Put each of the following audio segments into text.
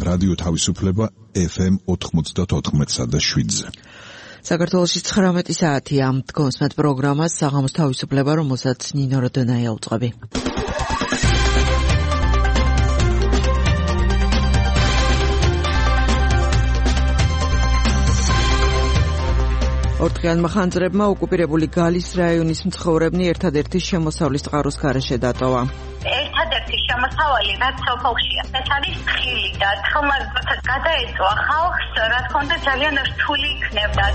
რადიო თავისუფლება FM 94.7-ზე. საქართველოში 19 საათია. დგომს მათ პროგრამას საღამოს თავისუფლება, რომელსაც ნინო როდონაია უწყობი. ორთქიანმა ხანძრებმა ოკუპირებული გალის რაიონის მცხოვრებნი ერთადერთი შემოსავლის წყაროს გარეშე დატოვა. ერთადერთი შემოსავალი რაც სოფელშია. ეს არის თხილი და თხილმა გადაეწვა ხალხს, რა თქმა უნდა ძალიან რთული იქნებდა.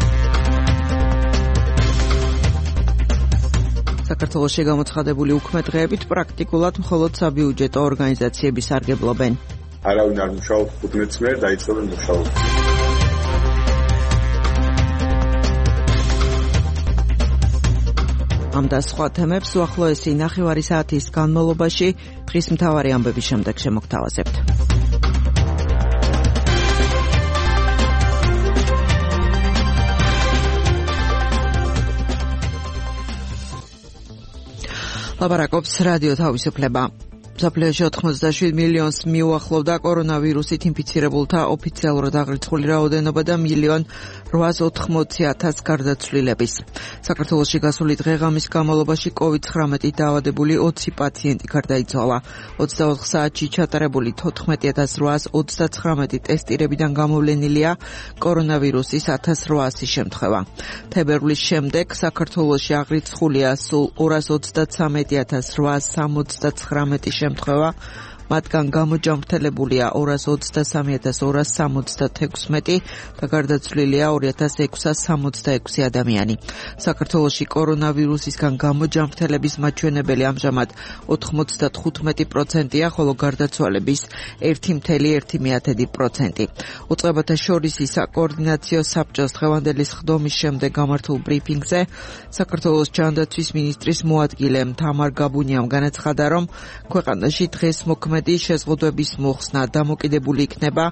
საქართველოში გამოცხადებული უქმე დღეებით პრაქტიკულად მხოლოდ საბიუჯეტო ორგანიზაციები სარგებლობენ. არავინ არ მუშაობს 15 წლად დაიწყებენ მუშაობა. ამ და სხვა თემებს უახლოესი ნახევარი საათის განმავლობაში დღის მთავარი ამბების შემდეგ შემოგთავაზებთ. ლაპარაკობს რადიო თავისუფლება. საფრანგეთში 87 მილიონს მიუახლოვდა კორონავირუსით ინფიცირებულთა ოფიციალურად აღრიცხული რაოდენობა და 1,880,000 გარდაცვლილების. საქართველოში გასული დღე-ღამის განმავლობაში COVID-19 დაავადებული 20 პაციენტი გარდაიცვალა. 24 საათში ჩატარებული 14,839 ტესტირებიდან გამოვლენილია კორონავირუსის 1,800 შემთხვევა. თებერვლის შემდეგ საქართველოში აღრიცხულია სულ 233,869 შემთხვევა, მათგან გამოჯამრთელებულია 223,266 და გარდაცვლილია 2,666 ადამიანი. საქართველოში კორონავირუსისგან გამოჯამრთელების მაჩვენებელი ამჟამად 95%-ია, ხოლო გარდაცვალების 1,1%. უწყებათა შორის საკოორდინაციო საბჭოს დღევანდელი სხდომის შემდეგ გამართულ ბრიფინგზე საქართველოს ჯანდაცვის მინისტრის მოადგილე თამარ გაბუნიამ განაცხადა, რომ ქვეყანაში დღეს მოქმედი შეზღუდვების მოხსნა დამოკიდებული იქნება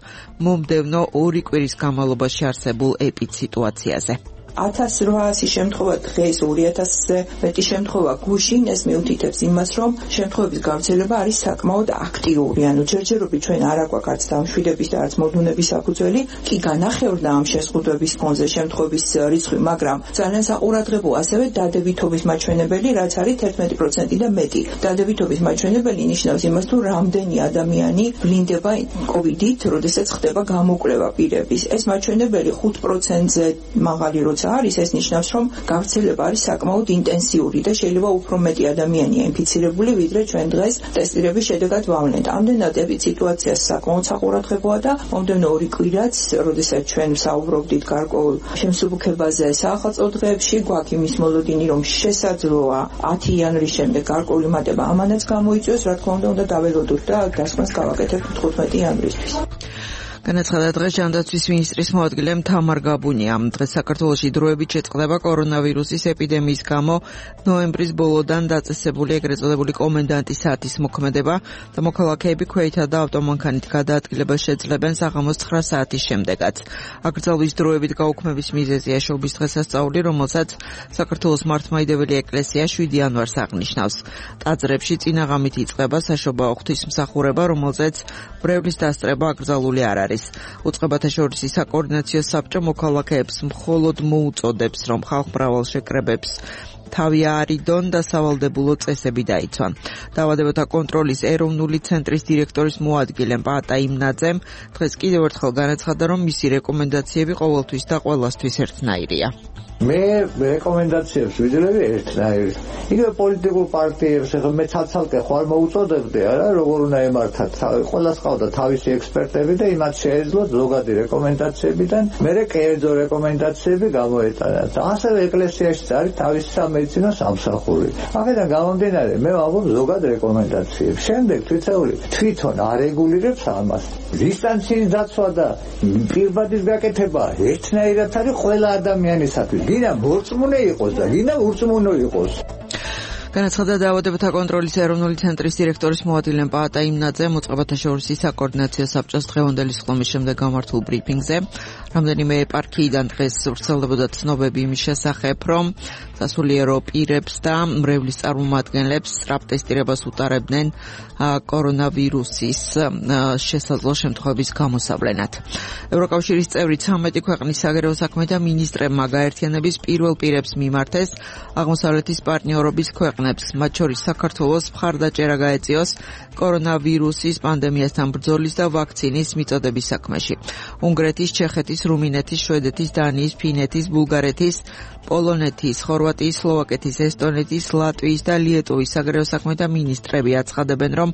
მომდევნო 2 კვირის განმავლობაში არსებულ ეპიდსიტუაციაზე. 1800 შემთხვევა დღეს 2000-ზე მეტი შემთხვევა გუშინ, ეს მიუთითებს იმას, რომ შემთხვევების გავრცელება არის საკმაოდ აქტიური. ანუ ჯერჯერობით ჩვენ არ აქვს არც დამშვიდების და არც მოდუნების საფუძველი, კი განახევრდა ამ შეზღუდვების ფონზე შემთხვევების რიცხვი, მაგრამ ძალიან საყურადღებო ასევე დადებითობის მაჩვენებელი, რაც არის 11% და მეტი. დადებითობის მაჩვენებელი ნიშნავს იმას, თუ რამდენი ადამიანი ვლინდება COVID-ით, როდესაც ხდება გამოკვლევა პირების. ეს მაჩვენებელი 5%-ზე მაღალი არის, ეს ნიშნავს, რომ გავრცელება არის საკმაოდ ინტენსიური და შეიძლება უფრო მეტი ადამიანია ინფიცირებული, ვიდრე ჩვენ დღეს ტესტირების შედეგად ვავლენთ. ამდენად ეპიდსიტუაცია საკმაოდ საყურადღებოა და მომდევნო 2 კვირაც, როდესაც ჩვენ ვსაუბრობდით გარკვეულ შემსუბუქებაზე საახალწლო დღეებში, გვაქვს იმის მოლოდინი, რომ შესაძლოა 10 იანვრის შემდეგ გარკვეული მატება ამანაც გამოიწვიოს, რა თქმა უნდა დაველოდოთ და დასკვნას გავაკეთებთ 15 იანვრისთვის. განაცხადა დღეს ჯანდაცვის მინისტრის მოადგილე თამარ გაბუნიამ. დღეს საქართველოში დროებით შეწყდება კორონავირუსის ეპიდემიის გამო ნოემბრის ბოლოდან დაწესებული ეგრეთ წოდებული კომენდანტის საათის მოქმედება და მოქალაქეები ქვეითა და ავტომანქანით გადაადგილებას შეძლებენ საღამოს 9 საათის შემდეგაც. აკრძალვის დროებით გაუქმების მიზეზია შობის დღესასწაული, რომელსაც საქართველოს მართლმადიდებელი ეკლესია 7 იანვარს აღნიშნავს. ტაძრებში წინაღამით იწყება საშობაო ღვთისმსახურება, რომელზეც ბრევლის დასწრება აკრძალული არ არის. უწყებათა შორის საკოორდინაციო საბჭო მოქალაქეებს მხოლოდ მოუწოდებს, რომ ხალხმრავალ შეკრებებს თავი აარიდონ და სავალდებულო წესები დაიცვან. დაავადებათა კონტროლის ეროვნული ცენტრის დირექტორის მოადგილე პაატა იმნაძემ დღეს კიდევ ერთხელ განაცხადა, რომ მისი რეკომენდაციები ყოველთვის და ყველასთვის ერთნაირია. მე რეკომენდაციებს ვიძლევი ერთნაირად. იგივე პოლიტიკურ პარტიებს ახლა მე ცალ-ცალკე ხარ მოუწოდებდი, არა, როგორ უნდა ემართათ. ყველას ყავდა თავისი ექსპერტები და იმათ შეეძლოთ ზოგადი რეკომენდაციებიდან მერე კერძო რეკომენდაციები გამოეტანათ. ასევე ეკლესიაში არის თავისი სამედიცინო სამსახური. აქედან გამომდინარე, მე ვამბობ ზოგად რეკომენდაციებს. შემდეგ თვითონ არეგულირებს ამას. დისტანციის დაცვა და პირბადის გაკეთება ერთნაირად არის ყველა ადამიანისათვის. გინდა მორწმუნე იყოს და გინდა ურწმუნო იყოს. განაცხადა დაავადებათა კონტროლის ეროვნული ცენტრის დირექტორის მოადგილე პაატა იმნაძემ უწყებათა შორის საკოორდინაციო საბჭოს დღევანდელი სხდომის შემდეგ გამართულ ბრიფინგზე. რამდენიმე ეპარქიიდან დღეს ვრცელდებოდა ცნობები იმის შესახებ, რომ სასულიერო პირებს და მრევლის წარმომადგენლებს სტრაპ-ტესტირებას უტარებდნენ კორონავირუსის შესაძლო შემთხვევების გამოსავლენად. ევროკავშირის წევრი 13 ქვეყნის საგარეო საქმეთა მინისტრებმა გაერთიანების პირველ პირებს მიმართეს აღმოსავლეთის პარტნიორობის ქვეყნებს, მათ შორის საქართველოს მხარდაჭერა გაეწიოს კორონავირუსის პანდემიასთან ბრძოლის და ვაქცინის მიწოდების საქმეში. უნგრეთის, ჩეხეთის, რუმინეთის, შვედეთის, დანიის, ფინეთის, ბულგარეთის, პოლონეთის, ხორვატიის, სლოვაკეთის, ესტონეთის, ლატვიის და ლიეტუვის საგარეო საქმეთა მინისტრები აცხადებენ, რომ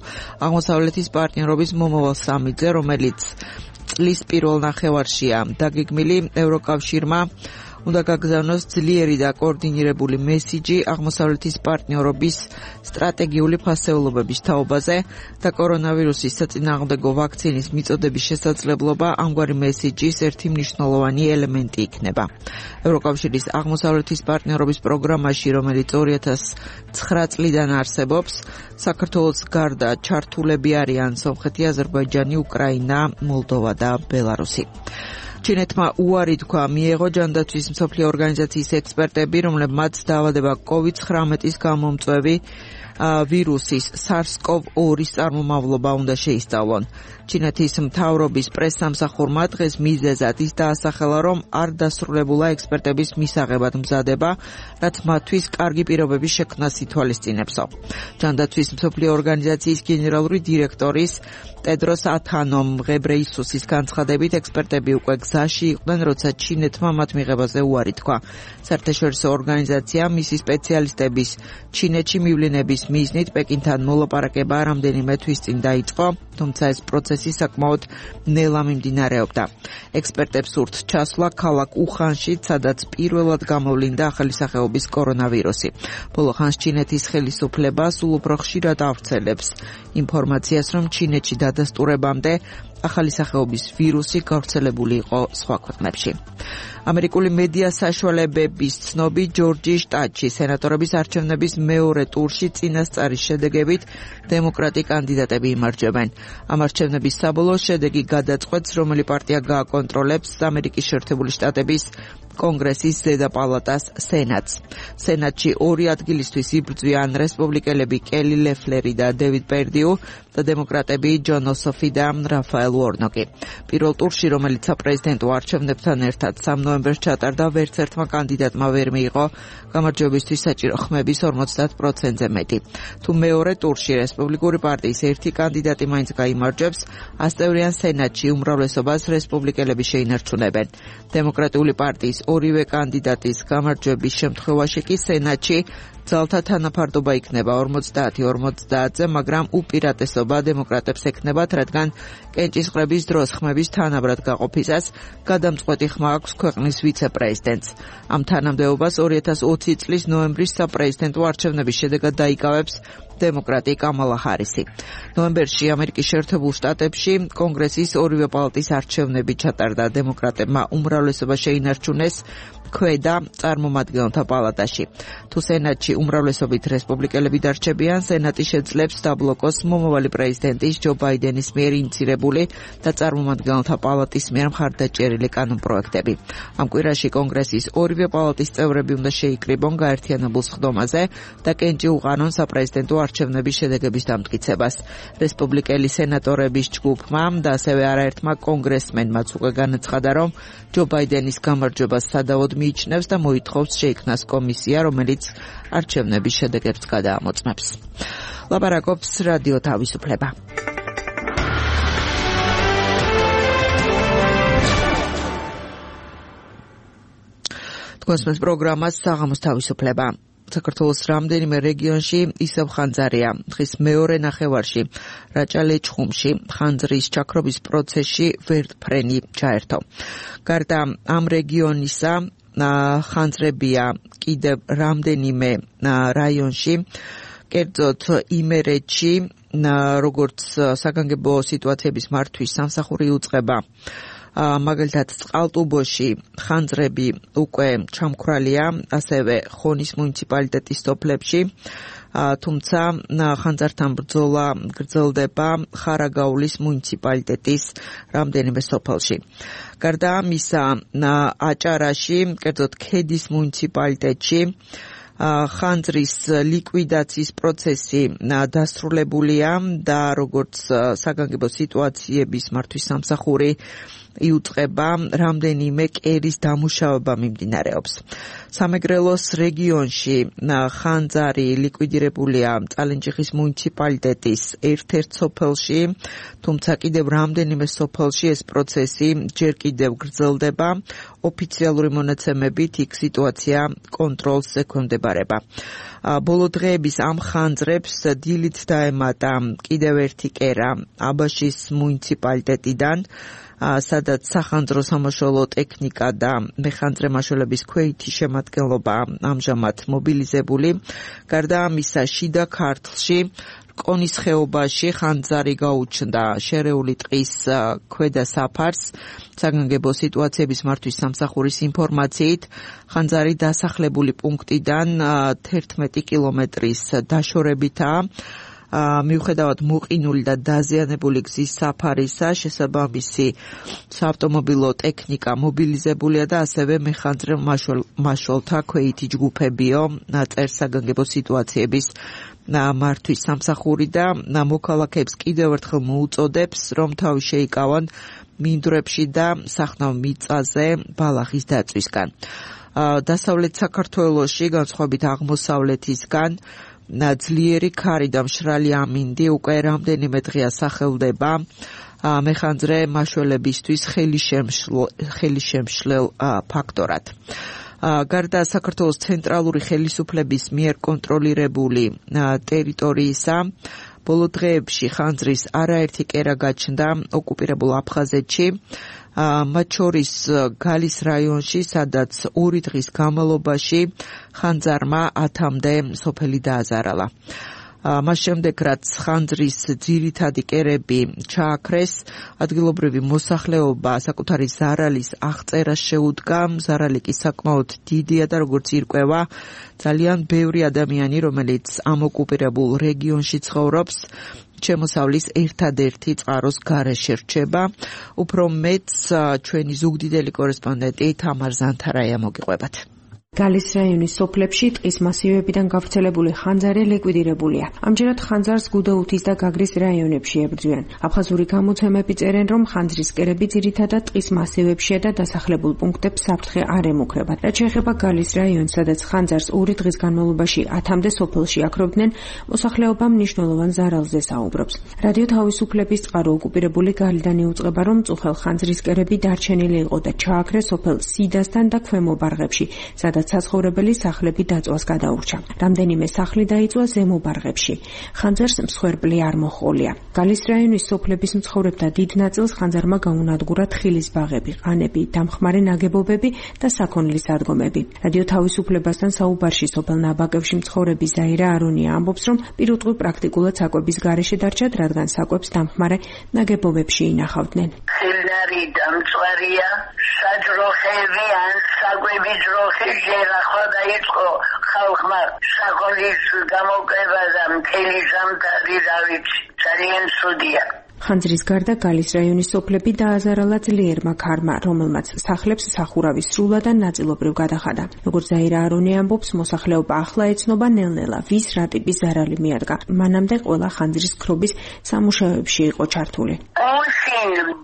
აღმოსავლეთის პარტნიორობის მომავალ სამიტზე, რომელიც წლის პირველ ნახევარშია დაგეგმილი, ევროკავშირმა უნდა გაგზავნოს ძლიერი და კოორდინირებული მესიჯი აღმოსავლეთის პარტნიორობის სტრატეგიული ფასეულობების თაობაზე და კორონავირუსის საწინააღმდეგო ვაქცინის მიწოდების შესაძლებლობა ამგვარი მესიჯის ერთი მნიშვნელოვანი ელემენტი იქნება. ევროკავშირის აღმოსავლეთის პარტნიორობის პროგრამაში, რომელიც 2009 წლიდან არსებობს, საქართველოს გარდა ჩართულები არიან სომხეთი, აზერბაიჯანი, უკრაინა, მოლდოვა და ბელარუსი. ჩინეთმა უარი თქვა მიეღო ჯანდაცვის მსოფლიო ორგანიზაციის ექსპერტები, რომლებმაც დაავადება COVID-19-ის გამომწვევი ვირუსის SARS-CoV-2-ის წარმომავლობა უნდა შეისწავლონ. ჩინეთის მთავრობის პრესსამსახურმა დღეს მიზეზად ის დაასახელა, რომ არ დასრულებულა ექსპერტების მისაღებად მზადება, რაც მათთვის კარგი პირობების შექმნას ითვალისწინებსო. ჯანდაცვის მსოფლიო ორგანიზაციის გენერალური დირექტორის ტედროს ათანომ ღებრეისუსის განცხადებით, ექსპერტები უკვე გზაში იყვნენ, როცა ჩინეთმა მათ მიღებაზე უარი თქვა. საერთაშორისო ორგანიზაცია მისი სპეციალისტების ჩინეთში მივლინების მიზნით პეკინთან მოლაპარაკება რამდენიმე თვის წინ დაიწყო, თუმცა ეს პროცესი საკმაოდ ნელა მიმდინარეობდა. ექსპერტებს სურთ ჩასვლა ქალაქ უხანში, სადაც პირველად გამოვლინდა ახალი სახეობის კორონავირუსი. ბოლო ხანს ჩინეთის ხელისუფლება სულ უფრო ხშირად ავრცელებს ინფორმაციას, რომ ჩინეთში დადასტურებამდე ახალი სახეობის ვირუსი გავრცელებული იყო სხვა ქვეყნებში. ამერიკული მედია საშუალებების ცნობი ჯორჯიის შტატში სენატორების არჩევნების მეორე ტურში წინასწარის შედეგებით დემოკრატი კანდიდატები იმარჯვებენ. ამ არჩევნების საბოლოო შედეგი გადაწყვეტს, რომელი პარტია გააკონტროლებს ამერიკის შეერთებული შტატების კონგრესის ზედა პალატას სენატს. სენატში ორი ადგილისთვის იბრძვიან რესპუბლიკელები კელი ლეფლერი და დევიდ პერდიუ და დემოკრატები ჯონ ოსოფი და რაფაელ უორნოკი. პირველ ტურში, რომელიც საპრეზიდენტო არჩევნებთან ერთად 3 ნოემბერს ჩატარდა, ვერც ერთმა კანდიდატმა ვერ მიიღო გამარჯვებისთვის საჭირო ხმების 50%-ზე მეტი. თუ მეორე ტურში რესპუბლიკური პარტიის ერთი კანდიდატი მაინც გაიმარჯვებს, ასწევრიან სენატში უმრავლესობას რესპუბლიკელები შეინარჩუნებენ. დემოკრატიული პარტიის ორივე კანდიდატის გამარჯვების შემთხვევაში კი სენატში ძალთა თანაფარდობა იქნება 50-50-ზე, მაგრამ უპირატესობა დემოკრატებს ექნებათ, რადგან კენჭისყრების დროს ხმების თანაბრად გაყოფისას გადამწყვეტი ხმა აქვს ქვეყნის ვიცე-პრეზიდენტს. ამ თანამდებობას 2020 წლის ნოემბრის საპრეზიდენტო არჩევნების შედეგად დაიკავებს დემოკრატი კამალა ჰარისი. ნოემბერში ამერიკის შეერთებულ შტატებში კონგრესის ორივე პალატის არჩევნები ჩატარდა. დემოკრატებმა უმრავლესობა შეინარჩუნეს ქვედა წარმომადგენელთა პალატაში. თუ სენატში უმრავლესობით რესპუბლიკელები დარჩებიან, სენატი შეძლებს დაბლოკოს მომავალი პრეზიდენტის ჯო ბაიდენის მიერ ინიცირებული და წარმომადგენელთა პალატის მიერ მხარდაჭერილი კანონპროექტები. ამ კვირაში კონგრესის ორივე პალატის წევრები უნდა შეიკრიბონ გაერთიანებულ სხდომაზე და კენჭი უყანონ საპრეზიდენტო არჩევნების შედეგების დამტკიცებას. რესპუბლიკელი სენატორების ჯგუფმა და ასევე არაერთმა კონგრესმენმაც უკვე განაცხადა, რომ ჯო ბაიდენის გამარჯვებას სადავოდ მიიჩნევს და მოითხოვს შეიქმნას კომისია, რომელიც არჩევნების შედეგებს გადაამოწმებს. ლაპარაკობს რადიო თავისუფლება. თქვენს პროგრამას საღამოს თავისუფლება. საქართველოს რამდენიმე რეგიონში ისევ ხანძარია. დღის მეორე ნახევარში რაჭა-ლეჩხუმში ხანძრის ჩაქრობის პროცესში ვერტფრენი ჩაერთო. გარდა ამ რეგიონისა ხანძრებია კიდევ რამდენიმე რაიონში, კერძოდ იმერეთში, როგორც საგანგებო სიტუაციების მართვის სამსახური უწყება. მაგალითად წყალტუბოში ხანძრები უკვე ჩამქრალია, ასევე ხონის მუნიციპალიტეტის სოფლებში, თუმცა ხანძართან ბრძოლა გრძელდება ხარაგაულის მუნიციპალიტეტის რამდენიმე სოფელში. გარდა ამისა, აჭარაში, კერძოდ ქედის მუნიციპალიტეტში ხანძრის ლიკვიდაციის პროცესი დასრულებულია და როგორც საგანგებო სიტუაციების მართვის სამსახური იუწყება, რამდენიმე კერის დამუშავება მიმდინარეობს. სამეგრელოს რეგიონში ხანძარი ლიკვიდირებულია წალენჯიხის მუნიციპალიტეტის ერთ-ერთ სოფელში, თუმცა კიდევ რამდენიმე სოფელში ეს პროცესი ჯერ კიდევ გრძელდება. ოფიციალური მონაცემებით იქ სიტუაცია კონტროლს ექვემდებარება. ბოლო დღეების ამ ხანძრებს დილით დაემატა კიდევ ერთი კერა აბაშის მუნიციპალიტეტიდან, სადაც სახანძრო სამაშველო ტექნიკა და მეხანძრე მაშველების ქვეითი შემადგენლობა ამჟამად მობილიზებული. გარდა ამისა, შიდა ქართლში კონის ხეობაში ხანძარი გაუჩნდა შერეული ტყის ქვედა საფარს. საგანგებო სიტუაციების მართვის სამსახურის ინფორმაციით, ხანძარი დასახლებული პუნქტიდან 11 კილომეტრის დაშორებითაა. მიუხედავად მოყინული და დაზიანებული გზის საფარისა, შესაბამისი საავტომობილო ტექნიკა მობილიზებულია და ასევე მეხანძრე მაშველთა ქვეითი ჯგუფებიო წერს საგანგებო სიტუაციების მართვის სამსახური და მოქალაქეებს კიდევ ერთხელ მოუწოდებს, რომ თავი შეიკავონ მინდვრებში და სახნავ მიწაზე ბალახის დაწვისგან. დასავლეთ საქართველოში, განსხვავებით აღმოსავლეთისგან, ძლიერი ქარი და მშრალი ამინდი უკვე რამდენიმე დღეა სახელდება მეხანძრე მაშველებისთვის ხელისშემშლელ ფაქტორად. გარდა საქართველოს ცენტრალური ხელისუფლების მიერ კონტროლირებული ტერიტორიისა, ბოლო დღეებში ხანძრის არაერთი კერა გაჩნდა ოკუპირებულ აფხაზეთში, მათ შორის გალის რაიონში, სადაც 2 დღის განმავლობაში ხანძარმა 10-მდე სოფელი დააზარალა. მას შემდეგ, რაც ხანძრის ძირითადი კერები ჩააქრეს, ადგილობრივი მოსახლეობა საკუთარი ზარალის აღწერას შეუდგა. ზარალი კი საკმაოდ დიდია და როგორც ირკვევა, ძალიან ბევრი ადამიანი, რომელიც ამ ოკუპირებულ რეგიონში ცხოვრობს, შემოსავლის ერთადერთი წყაროს გარეშე რჩება. უფრო მეტს ჩვენი ზუგდიდელი კორესპონდენტი თამარ ზანთარაია მოგიყვებათ. გალის რაიონის სოფლებში ტყის მასივებიდან გავრცელებული ხანძარი ლიკვიდირებულია. ამჯერად ხანძარს გუდაუთის და გაგრის რაიონებში ებრძვიან. აფხაზური გამოცემები წერენ, რომ ხანძრის კერები ძირითადად ტყის მასივებშია და დასახლებულ პუნქტებს საფრთხე არ ემუქრებათ. რაც შეეხება გალის რაიონს, სადაც ხანძარს 2 დღის განმავლობაში 10-მდე სოფელში აქრობდნენ, მოსახლეობა მნიშვნელოვან ზარალზე საუბრობს. რადიო თავისუფლების წყარო ოკუპირებული გალიდან იუწყება, რომ წუხელ ხანძრის კერები დარჩენილი იყო და ჩააქრეს სოფელ სიდასთან და ქვემო ბარღებში, სადაც საცხოვრებელი სახლები დაწვას გადაურჩა. რამდენიმე სახლი დაიწვა ზემო ბარღებში. ხანძარს მსხვერპლი არ მოჰყოლია. გალის რაიონის სოფლების მცხოვრებთა დიდ ნაწილს ხანძარმა გაუნადგურა თხილის ბაღები, ყანები, დამხმარე ნაგებობები და საქონლის ადგომები. რადიო თავისუფლებასთან საუბარში სოფელ ნაბაკებში მცხოვრები ზაირა არონია ამბობს, რომ პირუტყვი პრაქტიკულად საკვების გარეშე დარჩათ, რადგან საკვებს დამხმარე ნაგებობებში ინახავდნენ. ხილნარი დამწვარია, საჯროხები ან საკვები ჯროხი ახლა დაიწყო ხალხმა საქონლის გამოკრება და მთელი ზამთარი დავიცი. ძალიან ცუდია. ხანძრის გარდა გალის რაიონის სოფლები დააზარალა ძლიერმა ქარმა, რომელმაც სახლებს სახურავი სრულად და ნაწილობრივ გადახადა. როგორც ზაირა არონია ამბობს, მოსახლეობა ახლა ეცნობა ნელ-ნელა, ვის რა ტიპის ზარალი მიადგა. მანამდე ყველა ხანძრის ქრობის სამუშაოებში იყო ჩართული.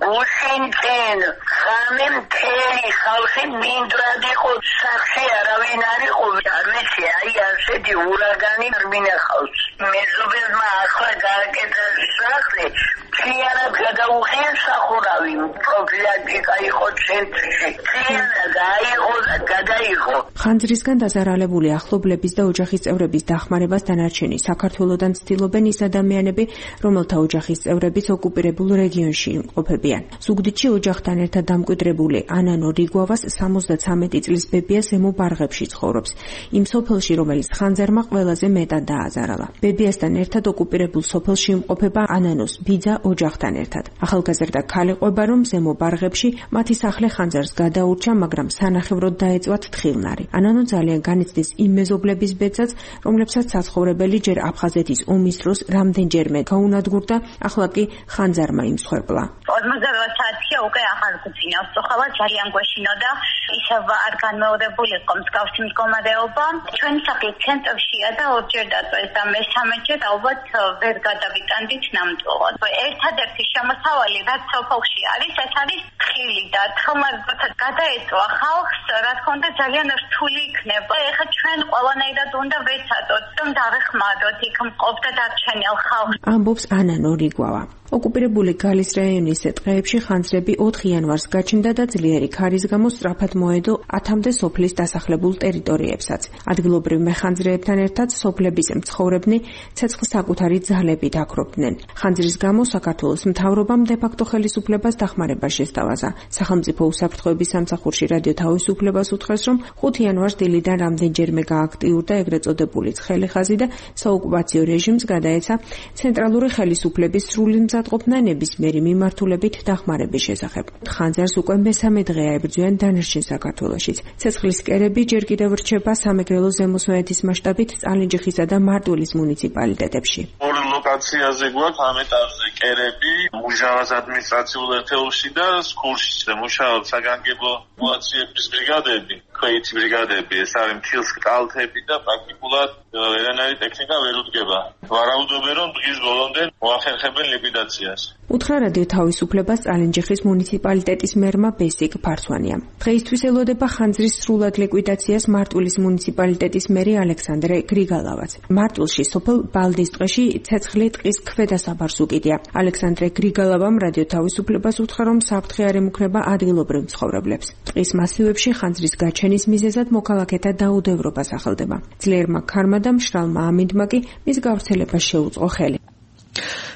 გუშინ ხამე მთელი ხალხი მინდვრად იყო, სახლში არავინ არ იყო. არ ვიცი, აი ასეთი ურაგანი არ მინახავს. მეზობელმა ახლა გააკეთა სახლი, მთლიანად გადაუღია სახურავი. პროფილაქტიკა იყო ცენტრში. მთლიანად აიღო და გადაიღო. ხანძრისგან დაზარალებული ახლობლების და ოჯახის წევრების დახმარებას დანარჩენი საქართველოდან ცდილობენ ის ადამიანები, რომელთა ოჯახის წევრებიც ოკუპირებულ რეგიონში იმყოფებიან. ზუგდიდში ოჯახთან ერთად დამკვიდრებული ანანო რიგვავას 73 წლის ბებია ზემო ბარღებში ცხოვრობს. იმ სოფელში, რომელიც ხანძარმა ყველაზე მეტად დააზარალა. ბებიასთან ერთად ოკუპირებულ სოფელში იმყოფება ანანოს ბიძა ოჯახთან ერთად. ახალგაზრდა ქალი ყვება, რომ ზემო ბარღებში მათი სახლი ხანძარს გადაურჩა, მაგრამ სანახევროდ დაეწვათ თხილნარი. ანანო ძალიან განიცდის იმ მეზობლების ბედსაც, რომლებსაც საცხოვრებელი ჯერ აფხაზეთის ომის დროს რამდენჯერმე გაუნადგურდა, ახლა კი ხანძარმა იმსხვერპლა. 48 საათია უკვე აღარ გვძინავს. ხოლა ძალიან გვეშინოდა ისევ არ განმეორებული იყო მსგავსი მდგომარეობა. ჩვენი სახლის ცენტრშია და ორჯერ დაწვეს და მესამეჯერ ალბათ ვერ გადავიტანდით ნამდვილად. ერთადერთი შემოსავალი რაც სოფელში არის, ეს არის ხილი და თმარგოთა გადაეწვა ხალხს, რა თქმა უნდა ძალიან რთული იქნება. ეხლა ჩვენ ყველანაირად უნდა ვეცადოთ, რომ დავეხმაროთ იქ მყოფ და დარჩენილ ხალხს. ამბობს ანა ნორიგვავა. ოკუპირებული გალის რაიონის ტყეებში ხანძრები 4 იანვარს გაჩნდა და ძლიერი ქარის გამო სწრაფად მოედო 10-მდე სოფლის დასახლებულ ტერიტორიებსაც. ადგილობრივ მეხანძრეებთან ერთად სოფლების მცხოვრებნი ცეცხლ საკუთარი ძალებით აქრობდნენ. ხანძრის გამო საქართველოს მთავრობამ დე-ფაქტო ხელისუფლებას დახმარება შესთავაზა. სახელმწიფო უსაფრთხოების სამსახურში რადიო თავისუფლებას უთხრეს, რომ 5 იანვარს დილიდან რამდენჯერმე გააქტიურდა ეგრეთ წოდებული ცხელი ხაზი და საოკუპაციო რეჟიმს გადაეცა ცენტრალური ხელისუფლების სრული მზადყოფნა ნებისმიერი მიმართულებით დახმარების შესახებ. ხანძარს უკვე მესამე დღეა ებრძვიან დანარჩენ საქართველოშიც. ცეცხლის კერები ჯერ კიდევ რჩება სამეგრელო ზემოსვანეთის მასშტაბით წალენჯიხისა და მარტვილის მუნიციპალიტეტებში. ორ ლოკაციაზე გვაქვს ამ ეტაპზე კერები, მუშაობს ადმინისტრაციულ ერთეულში და სკოლში და მუშაობს საგანგებო მუაციების ბრიგადები, ქვეითი ბრიგადები, ეს არის მთის კალთები და პრაქტიკულად ვერანაირი ტექნიკა ვერ უდგება. ვარაუდობენ, რომ დღის ბოლომდე მოახერხებენ ლიკვიდაციას. უთხრა რადიო თავისუფლებას წალენჯიხის მუნიციპალიტეტის მერმა ბესიკ ფარცვანია. დღეისთვის ელოდება ხანძრის სრულად ლიკვიდაციას მარტვილის მუნიციპალიტეტის მერი ალექსანდრე გრიგალავაც. მარტვილში სოფელ ბალდისტყეში ცეცხლი ტყის ქვედასაბარს უკიდია. ალექსანდრე გრიგალავამ რადიო თავისუფლებას უთხრა, რომ საფრთხე არ ემუქრება ადგილობრივ მცხოვრებლებს. ტყის მასივებში ხანძრის გაჩენის მიზეზად მოქალაქეთა დაუდევრობა სახელდება. ძლიერმა ქარმა და მშრალმა ამინდმა კი მის გავრცელებას შეუწყო ხელი.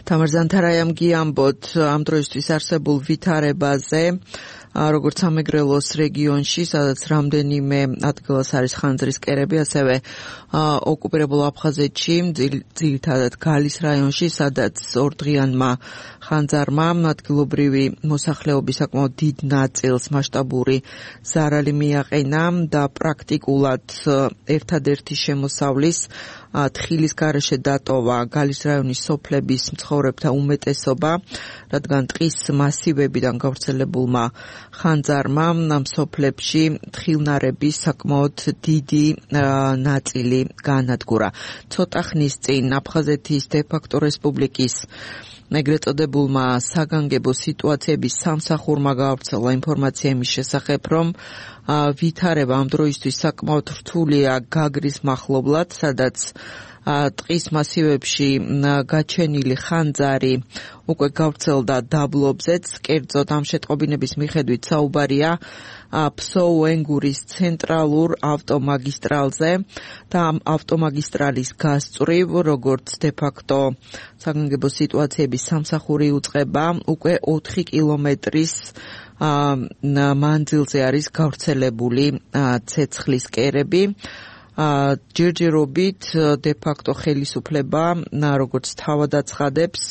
თამარ ზანთარაიამ გიამბოთ ამ დროისთვის არსებულ ვითარებაზე, როგორც სამეგრელოს რეგიონში, სადაც რამდენიმე ადგილას არის ხანძრის კერები, ასევე ოკუპირებულ აფხაზეთში, ძირითადად გალის რაიონში, სადაც ორდღიანმა ხანძარმა ადგილობრივი მოსახლეობის საკმაოდ დიდ ნაწილს მასშტაბური ზარალი მიაყენა და პრაქტიკულად ერთადერთი შემოსავლის თხილის გარეშე დატოვა გალის რაიონის სოფლების მცხოვრებთა უმეტესობა, რადგან ტყის მასივებიდან გავრცელებულმა ხანძარმა ამ სოფლებში თხილნარების საკმაოდ დიდი ნაწილი გაანადგურა. ცოტა ხნის წინ აფხაზეთის დე-ფაქტო რესპუბლიკის ეგრეთ წოდებულმა საგანგებო სიტუაციების სამსახურმა გაავრცელა ინფორმაცია იმის შესახებ, რომ ვითარება ამ დროისთვის საკმაოდ რთულია გაგრის მახლობლად, სადაც ტყის მასივებში გაჩენილი ხანძარი უკვე გავრცელდა დაბლობზეც. კერძოდ ამ შეტყობინების მიხედვით საუბარია ფსოუ-ენგურის ცენტრალურ ავტომაგისტრალზე და ამ ავტომაგისტრალის გასწვრივ, როგორც დე-ფაქტო საგანგებო სიტუაციების სამსახური უწყება, უკვე 4 კილომეტრის მანძილზე არის გავრცელებული ცეცხლის კერები. ჯერჯერობით დე-ფაქტო ხელისუფლება, როგორც თავად აცხადებს,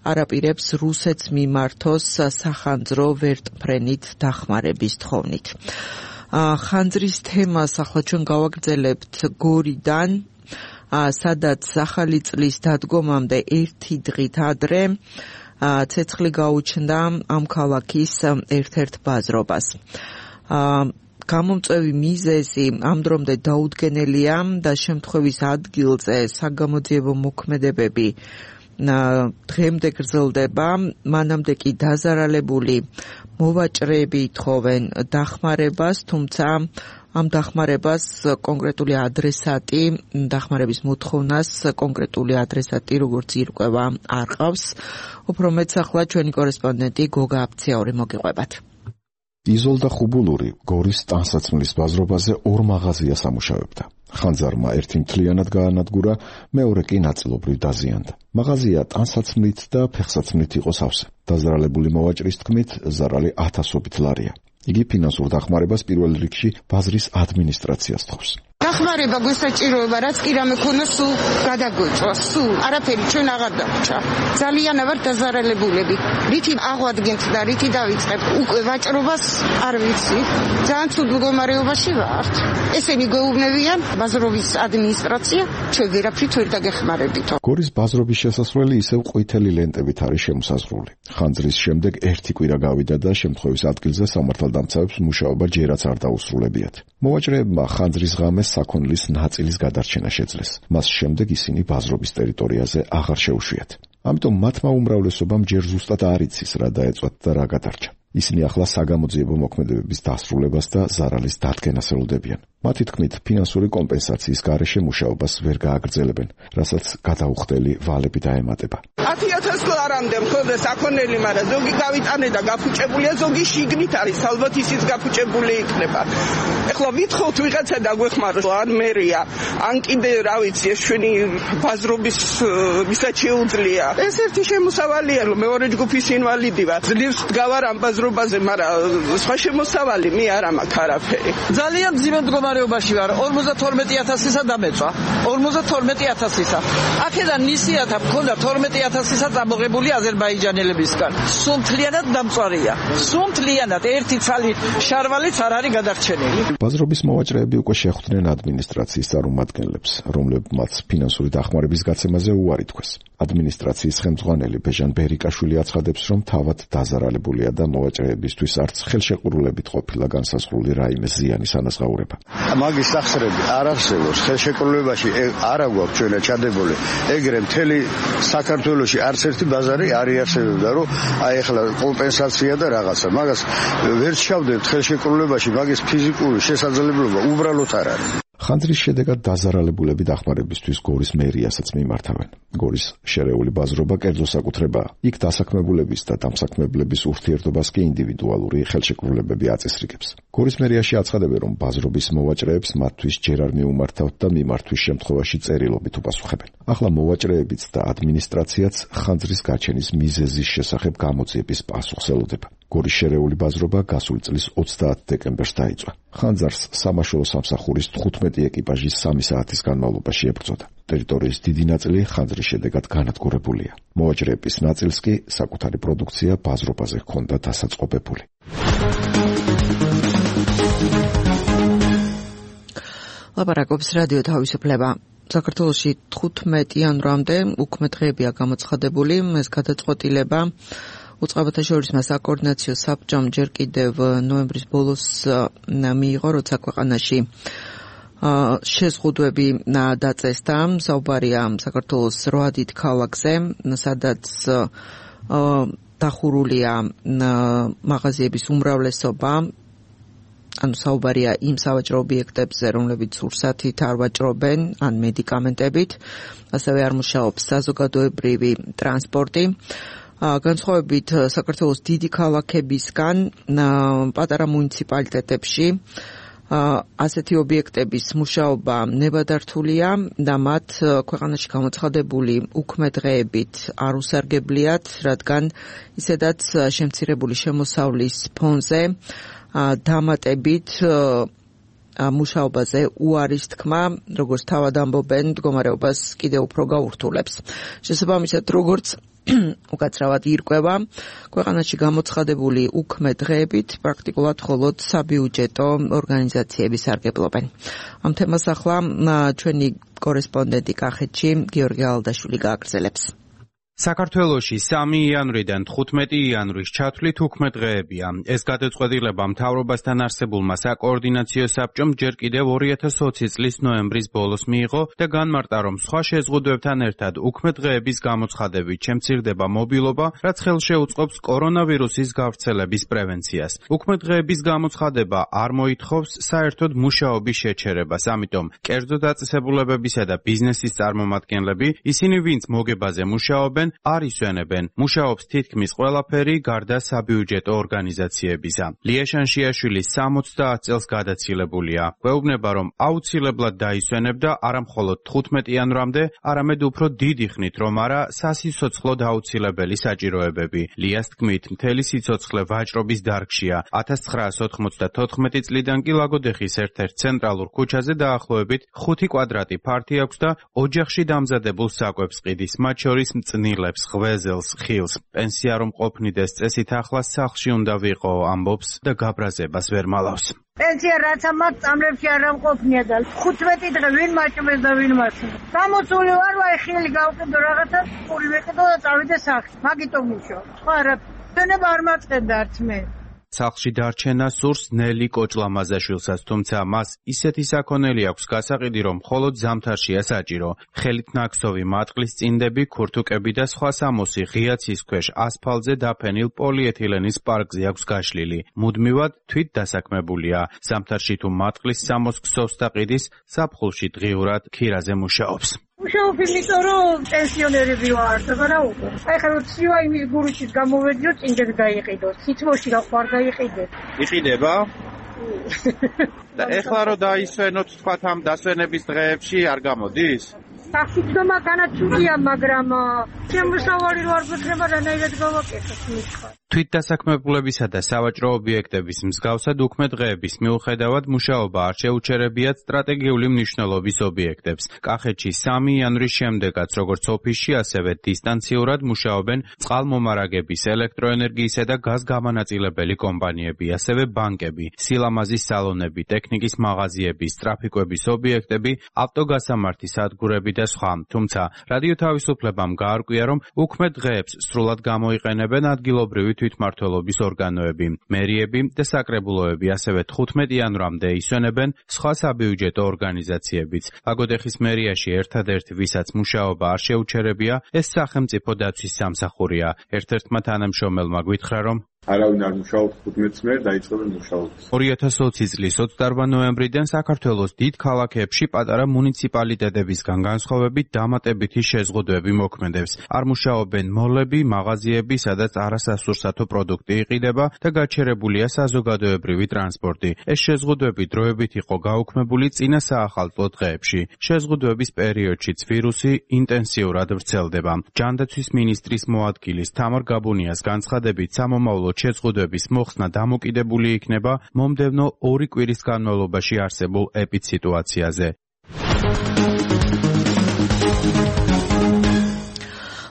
არაპირებს რუსეთს მიმართოს სახანძრო ვერტმფრენით დახმარების თხოვნით. ხანძრის თემას ახლა ჩვენ გავაგრძელებთ გორიდან, სადაც ახალი წლის დადგომამდე 1 დღით ადრე ცეცხლი გაუჩნდა ამ ქალაქის ერთ-ერთ ბაზრობას. გამომწვევი მიზეზი ამ დრომდე დაუდგენელია და შემთხვევის ადგილზე საგამოძიებო მოქმედებები დღემდე გრძელდება, მანამდე კი დაზარალებული მოვაჭრეები ითხოვენ დახმარებას, თუმცა ამ დახმარებას კონკრეტული ადრესატი, დახმარების მოთხოვნას კონკრეტული ადრესატი როგორც ირკვევა არ ყავს. უფრო მეც ახლა ჩვენი კორესპონდენტი გოგა აფციაური მოგიყვებათ. იზოლდა ხუბულური გორის ტანსაცმლის ბაზრობაზე 2 მაღაზიას ამუშავებდა. ხანძარმა ერთი მთლიანად გაანადგურა, მეორე კი ნაწილობრივ დაზიანდა. მაღაზია ტანსაცმლით და ფეხსაცმლით იყო სავსე. დაზარალებული მოვაჭრის თქმით, ზარალი 1000-ობით ლარია. იგი ფინანსურ დახმარებას პირველ რიგში ბაზრის ადმინისტრაციას თხოვს. დახმარება გვესაჭიროება, რაც კი რამე ქონა სულ გადაგვეწვა, სულ არაფერი ჩვენ აღარ დაგვჭა. ძალიან ვარ დაზარალებულები. რითი აღვადგენთ და რითი დავიწყებ? უკვე ვაჭრობას არ ვიცი. ძალიან ცუდ მდგომარეობაში ვართ. ესენი გვეუბნებიან ბაზრობის ადმინისტრაცია, ჩვენ ვერაფრით ვერ დაგეხმარებით. გორის ბაზრობის შესასვლელი ისევ ყვითელი ლენტებით არის შემოსაზღვრული. ხანძრის შემდეგ ერთი კვირა გავიდა და შემთხვევის ადგილზე სამართალდამცავებს მუშაობა ჯერაც არ დაუსრულებიათ. მოვაჭრეებმა ხანძრის ღამეს საქონლის ნაწილის გადარჩენა შეძლეს. მას შემდეგ ისინი ბაზრობის ტერიტორიაზე აღარ შეუშვიათ. ამიტომ მათმა უმრავლესობამ ჯერ ზუსტად არ იცის რა დაეწვათ და რა გადარჩა. ისინი ახლა საგამოძიებო მოქმედებების დასრულებას და ზარალის დადგენას ელოდებიან. მათი თქმით, ფინანსური კომპენსაციის გარეშე მუშაობას ვერ გააგრძელებენ, რასაც გადაუხდელი ვალები დაემატება. 10,000 ლარამდე მხოლოდ საქონელი, მაგრამ ზოგი გავიტანე და გაფუჭებულია, ზოგი შიგნით არის, ალბათ ისიც გაფუჭებული იქნება. ეხლა ვითხოვთ ვიღაცა დაგვეხმაროს, ან მერია, ან კიდე რა ვიცი, ეს ჩვენი ბაზრობის ვისაც შეუძლია. ეს ერთი შემოსავალია, მეორე ჯგუფის ინვალიდი ვარ. ძლივს დგავარ ამ ბაზრობაზე, მაგრამ სხვა შემოსავალი მე არ მაქვს არაფერი. ძალიან მძიმე მდგომარეობაში ვარ. 52,000-ისა დამეწვა. 52,000-ისა. აქედან ნისიათა მქონდა 12,000-ისა წამოღებული აზერბაიჯანელებისგან. სულ მთლიანად დამწვარია. სულ მთლიანად ერთი ცალი შარვალიც არ არის გადარჩენილი. ბაზრობის მოვაჭრეები უკვე შეხვდნენ ადმინისტრაციის წარმომადგენლებს, რომლებმაც ფინანსური დახმარების გაცემაზე უარი თქვეს. ადმინისტრაციის ხელმძღვანელი ბეჟან ბერიკაშვილი აცხადებს, რომ თავად დაზარალებულია და მოვაჭრეებისთვის არც ხელშეკრულებით ყოფილა განსაზღვრული რაიმე ზიანის ანაზღაურება. მაგის სახსრები არ არსებობს, ხელშეკრულებაში არ აგვაქვს ჩვენ ჩადებული. ეგრე მთელი საქართველოში არც ერთი ბაზარი არ იარსებებდა, რომ აი ახლა კომპენსაცია და რაღაცა. მაგას ვერ ჩავდებთ ხელშეკრულებაში, მაგის ფიზიკური შესაძლებლობა უბრალოდ არ არის. ხანძრის შედეგად დაზარალებულები დახმარებისთვის გორის მერიასაც მიმართავენ. გორის შერეული ბაზრობა კერძო საკუთრებაა. იქ დასაქმებულების და დამსაქმებლების ურთიერთობას კი ინდივიდუალური ხელშეკრულებები აწესრიგებს. გორის მერიაში აცხადებენ, რომ ბაზრობის მოვაჭრეებს მათთვის ჯერ არ მიუმართავთ და მიმართვის შემთხვევაში წერილობით უპასუხებენ. ახლა მოვაჭრეებიც და ადმინისტრაციაც ხანძრის გაჩენის მიზეზის შესახებ გამოძიების პასუხს ელოდება. გორის შერეული ბაზრობა გასული წლის 30 დეკემბერს დაიწყო. ხანძარს სამაშველო სამსახურის 15 ეკიპაჟის 3 საათის განმავლობაში ებრძოდა. ტერიტორიის დიდი ნაწილი ხანძრის შედეგად განადგურებულია. მოვაჭრეების ნაწილს კი საკუთარი პროდუქცია ბაზრობაზე ჰქონდა დასაწყობებული. ლაპარაკობს რადიო თავისუფლება. საქართველოში 15 იანვრამდე უქმე დღეებია გამოცხადებული. ეს გადაწყვეტილება უწყებათა შორის საკოორდინაციო საბჭომ ჯერ კიდევ ნოემბრის ბოლოს მიიღო, როცა ქვეყანაში შეზღუდვები დაწესდა. საუბარია საქართველოს 8 დიდ ქალაქზე, სადაც დახურულია მაღაზიების უმრავლესობა. ანუ საუბარია იმ სავაჭრო ობიექტებზე, რომლებიც სურსათით არ ვაჭრობენ, ან მედიკამენტებით. ასევე არ მუშაობს საზოგადოებრივი ტრანსპორტი. განსხვავებით საქართველოს დიდი ქალაქებისგან, პატარა მუნიციპალიტეტებში ასეთი ობიექტების მუშაობა ნებადართულია და მათ ქვეყანაში გამოცხადებული უქმე დღეებით არ უსარგებლიათ, რადგან ისედაც შემცირებული შემოსავლის ფონზე დამატებით მუშაობაზე უარის თქმა, როგორც თავად ამბობენ, მდგომარეობას კიდევ უფრო გაურთულებს. შესაბამისად, როგორც უკაცრავად ირკვევა, ქვეყანაში გამოცხადებული უქმე დღეებით პრაქტიკულად მხოლოდ საბიუჯეტო ორგანიზაციები სარგებლობენ. ამ თემას ახლა ჩვენი კორესპონდენტი კახეთში გიორგი ალდაშვილი გააგრძელებს. საქართველოში 3 იანვრიდან 15 იანვრის ჩათვლით უქმე დღეებია. ეს გადაწყვეტილება მთავრობასთან არსებულმა საკოორდინაციო საბჭომ ჯერ კიდევ 2020 წლის ნოემბრის ბოლოს მიიღო და განმარტა, რომ სხვა შეზღუდვებთან ერთად უქმე დღეების გამოცხადებით შემცირდება მობილობა, რაც ხელშეუწყობს კორონავირუსის გავრცელების პრევენციას. უქმე დღეების გამოცხადება არ მოითხოვს საერთოდ მუშაობის შეჩერებას, ამიტომ კერძო დაწესებულებებისა და ბიზნესის წარმომადგენლები, ისინი ვინც მოგებაზე მუშაობენ, მუშაობენ, არ ისვენებენ. მუშაობს თითქმის ყველაფერი გარდა საბიუჯეტო ორგანიზაციებისა. ლია შანშიაშვილი 70 წელს გადაცილებულია. გვეუბნება, რომ აუცილებლად დაისვენებდა არა მხოლოდ 15 იანვრამდე, არამედ უფრო დიდი ხნით, რომ არა სასიცოცხლოდ აუცილებელი საჭიროებები. ლიას თქმით, მთელი სიცოცხლე ვაჭრობის დარგშია. 1994 წლიდან კი ლაგოდეხის ერთ-ერთ ცენტრალურ ქუჩაზე დაახლოებით 5 კვადრატი ფართი აქვს და ოჯახში დამზადებულ საკვებს ყიდის, მათ შორის მწნილებს, ღვეზელს, ხილს. პენსია რომ ყოფნიდეს წესით ახლა სახლში უნდა ვიყო, ამბობს და გაბრაზებას ვერ მალავს. პენსია რაც ამათ წამლებში არ ამყოფნია და 15 დღე ვინ მაჭმეს და ვინ მასწავლებელს. გამოცული ვარ, აი ხილი გავყიდო რაღაცა, პური ვიყიდო და წავიდე სახლში. მაგიტომ მუშაობ. ხო არა, დენება არ მაწყენდა არც მე. სახლში დარჩენა სურს ნელი კოჭლამაზაშვილსაც, თუმცა მას ისეთი საქონელი აქვს გასაყიდი, რომ მხოლოდ ზამთარშია საჭირო. ხელით ნაქსოვი მატყლის წინდები, ქურთუკები და სხვა სამოსი ღია ცის ქვეშ ასფალტზე დაფენილ პოლიეთილენის პარკზე აქვს გაშლილი. მუდმივად თვით დასაქმებულია. ზამთარში თუ მატყლის სამოს ქსოვს და ყიდის, ზაფხულში დღიურად ქირაზე მუშაობს. მუშაობ იმიტომ, რომ პენსიონერები ვარ, რა უკვე. აი ხა რო ცივა იმის გურუჩით გამოვედიო, წინდები დაიყიდო. თითმოში რა ხარ დაიყიდე. იყიდება? და ეხლა რო დაისვენოთ, თქვათ ამ დასვენების დღეებში არ გამოდის? სახსიდომა განაცულია, მაგრამ შემოსავალი რო არ გქნება, რანაირად გავაკეთოთ მითხარ. თვითდასაქმებულებისა და სავაჭრო ობიექტების მსგავსად უქმე დღეების მიუხედავად მუშაობა არ შეუჩერებიათ სტრატეგიული მნიშვნელობის ობიექტებს. კახეთში 3 იანვრის შემდეგაც როგორც ოფისში, ასევე დისტანციურად მუშაობენ წყალმომარაგების, ელექტროენერგიისა და გაზგამანაწილებელი კომპანიები, ასევე ბანკები, სილამაზის სალონები, ტექნიკის მაღაზიები, ტრაფიკების ობიექტები, ავტოგასამართი სადგურები და სხვა. თუმცა რადიო თავისუფლებამ გაარკვია, რომ უქმე დღეებს სრულად გამოიყენებენ ადგილობრივი თვითმმართველობის ორგანოები, მერიები და საკრებულოები, ასევე 15 იანვრამდე ისვენებენ სხვა საბიუჯეტო ორგანიზაციებიც. ლაგოდეხის მერიაში ერთადერთი, ვისაც მუშაობა არ შეუჩერებია, ეს სახელმწიფო დაცვის სამსახურია. ერთ-ერთმა თანამშრომელმა გვითხრა, რომ არავინ არ მუშაობს 15 წლს დაიწყებენ მუშაობას. 2020 წლის 28 ნოემბრიდან საქართველოს დიდ ქალაქებში პატარა მუნიციპალიტეტებისგან განსხვავებით დამატებითი შეზღუდვები მოქმედებს. არ მუშაობენ მოლები, მაღაზიები, სადაც არასასურსათო პროდუქტი იყიდება და გაჩერებულია საზოგადოებრივი ტრანსპორტი. ეს შეზღუდვები დროებით იყო გაუქმებული წინა საახალწლო დღეებში. შეზღუდვების პერიოდშიც ვირუსი ინტენსიურად ვრცელდება. ჯანდაცვის მინისტრის მოადგილის თამარ გაბუნიას განცხადებით, სამომავლო შეზღუდვების მოხსნა დამოკიდებული იქნება მომდევნო 2 კვირის განმავლობაში არსებულ ეპიდსიტუაციაზე.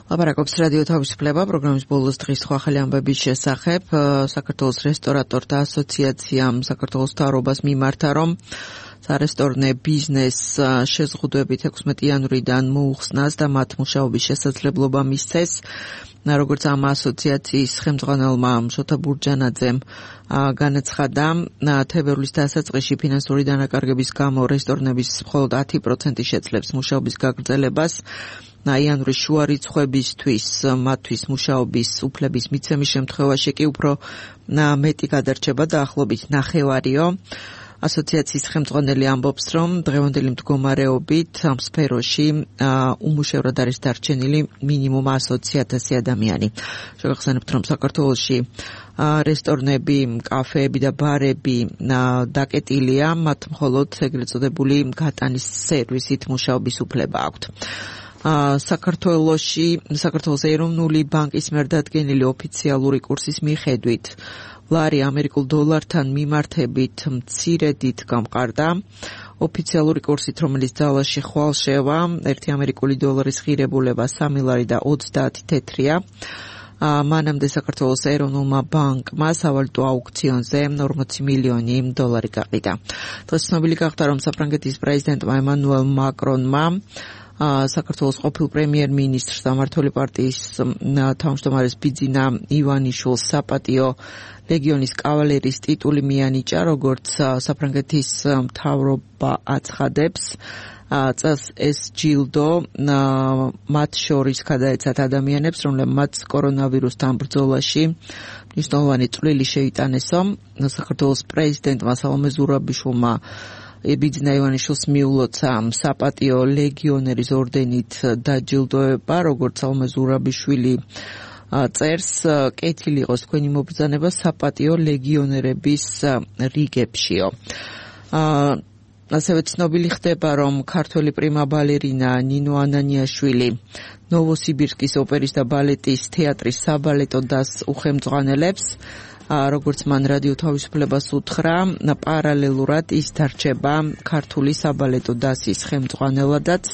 ლაპარაკობს რადიო თავისუფლება, პროგრამის ბოლოს დღის სხვა ახალი ამბების შესახებ. საქართველოს რესტორატორთა ასოციაციამ საქართველოს მთავრობას მიმართა, რომ სარესტორნე ბიზნეს შეზღუდვებით 16 იანვრიდან მოუხსნას და მათ მუშაობის შესაძლებლობა მისცეს. როგორც ამ ასოციაციის ხელმძღვანელმა შოთა ბურჯანაძემ განაცხადა, თებერვლის დასაწყისში ფინანსური დანაკარგების გამო რესტორნების მხოლოდ 10% შეძლებს მუშაობის გაგრძელებას. იანვრის შუა რიცხვებისთვის მათთვის მუშაობის უფლების მიცემის შემთხვევაში კი უფრო მეტი გადარჩება დაახლოებით ნახევარიო. ასოციაციის ხელმძღვანელი ამბობს, რომ დღევანდელი მდგომარეობით ამ სფეროში უმუშევრად არის დარჩენილი მინიმუმ 100,000 ადამიანი. შევახსენებთ, რომ საქართველოში რესტორნები, კაფეები და ბარები დაკეტილია, მათ მხოლოდ ეგრეთ წოდებული გატანის სერვისით მუშაობის უფლება აქვთ. საქართველოს ეროვნული ბანკის მიერ დადგენილი ოფიციალური კურსის მიხედვით ლარი ამერიკულ დოლართან მიმართებით მცირედით გამყარდა. ოფიციალური კურსით, რომელიც ძალაში ხვალ შევა, 1 ამერიკული დოლარის ღირებულება 3 ლარი და 30 თეთრია. მანამდე საქართველოს ეროვნულმა ბანკმა სავალუტო აუქციონზე 40 მილიონი დოლარი გაყიდა. დღეს ცნობილი გახდა, რომ საფრანგეთის პრეზიდენტმა ემანუელ მაკრონმა საქართველოს ყოფილ პრემიერ-მინისტრს და მმართველი პარტიის თავმჯდომარეს ბიძინა ივანიშვილს საპატიო ლეგიონის კავალერის ტიტული მიანიჭა, როგორც საფრანგეთის მთავრობა აცხადებს. წელს ეს ჯილდო მათ შორის გადაეცათ ადამიანებს, რომლებმაც კორონავირუსთან ბრძოლაში მნიშვნელოვანი წვლილი შეიტანესო. საქართველოს პრეზიდენტმა სალომე ზურაბიშვილმა ბიძინა ივანიშვილს მიულოცა საპატიო ლეგიონერის ორდენით დაჯილდოება, როგორც ალმა ზურაბიშვილი წერს, კეთილი იყოს თქვენი მობრძანება საპატიო ლეგიონერების რიგებშიო. ასევე ცნობილი ხდება, რომ ქართველი პრიმა ბალერინა ნინო ანანიაშვილი ნოვოსიბირსკის ოპერის და ბალეტის თეატრის საბალეტო დასს უხელმძღვანელებს. როგორც მან რადიო თავისუფლებას უთხრა, პარალელურად ის დარჩება ქართული საბალეტო დასის ხელმძღვანელადაც.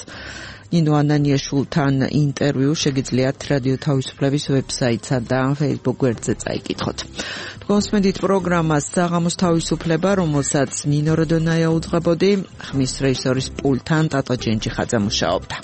ნინო ანანიაშვილთან ინტერვიუ შეგიძლიათ რადიო თავისუფლების ვებსაიტსა და Facebook გვერდზე წაიკითხოთ. თქვენსმენდით პროგრამას საღამოს თავისუფლება, რომელსაც ნინო როდონაია უძღვებოდი, ხმის რეჟისორის პულტთან ტატო ჯენჯიხაძე მუშაობდა.